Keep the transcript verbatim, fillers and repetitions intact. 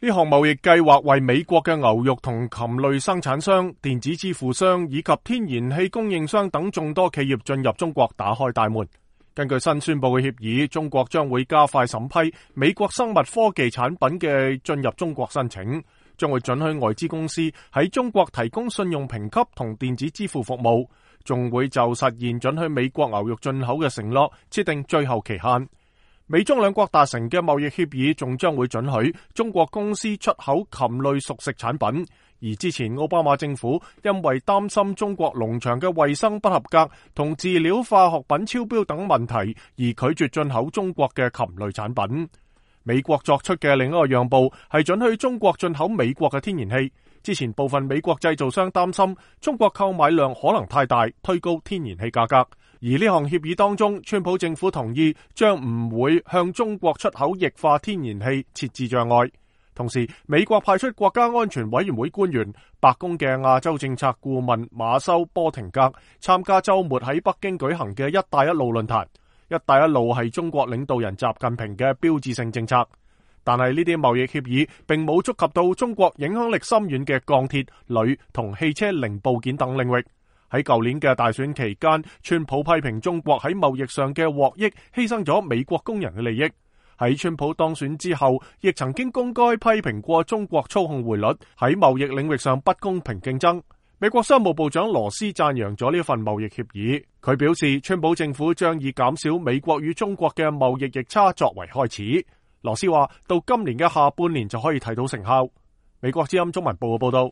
呢項貿易計劃為美國嘅牛肉同禽類生產商、電子支付商以及天然氣供應商等眾多企業進入中國打開大門。根據新宣布嘅協議，中國將會加快審批美國生物科技產品嘅進入中國申請，將會准許外資公司喺中國提供信用評級同電子支付服務，仲會就實現准許美國牛肉進口嘅承諾設定最後期限。美中兩國達成嘅貿易協議仲將會准許中國公司出口禽類熟食產品，而之前奧巴馬政府因為擔心中國農場嘅衛生不合格同飼料化學品超標等問題，而拒絕進口中國嘅禽類產品。美國作出嘅另一個讓步係准許中國進口美國嘅天然氣。之前部分美國製造商擔心中國購買量可能太大，推高天然氣價格。而呢項協議當中，川普政府同意將唔會向中國出口液化天然氣設置障礙。同時，美國派出國家安全委員會官員、白宮嘅亞洲政策顧問馬修波廷格參加週末喺北京舉行嘅一帶一路論壇。一帶一路係中國領導人習近平嘅標誌性政策，但係呢啲貿易協議並冇觸及到中國影響力深遠嘅鋼鐵、鋁同汽車零部件等領域。喺舊年嘅大選期間，川普批評中國喺貿易上嘅獲益犧牲咗美國工人嘅利益。喺川普當選之後，亦曾經公開批評過中國操控匯率，喺貿易領域上不公平競爭。美國商務部長羅斯讚揚咗呢份貿易協議，佢表示川普政府將以減少美國與中國嘅貿易逆差作為開始。羅斯話到今年嘅下半年就可以睇到成效。美國之音中文報嘅報道。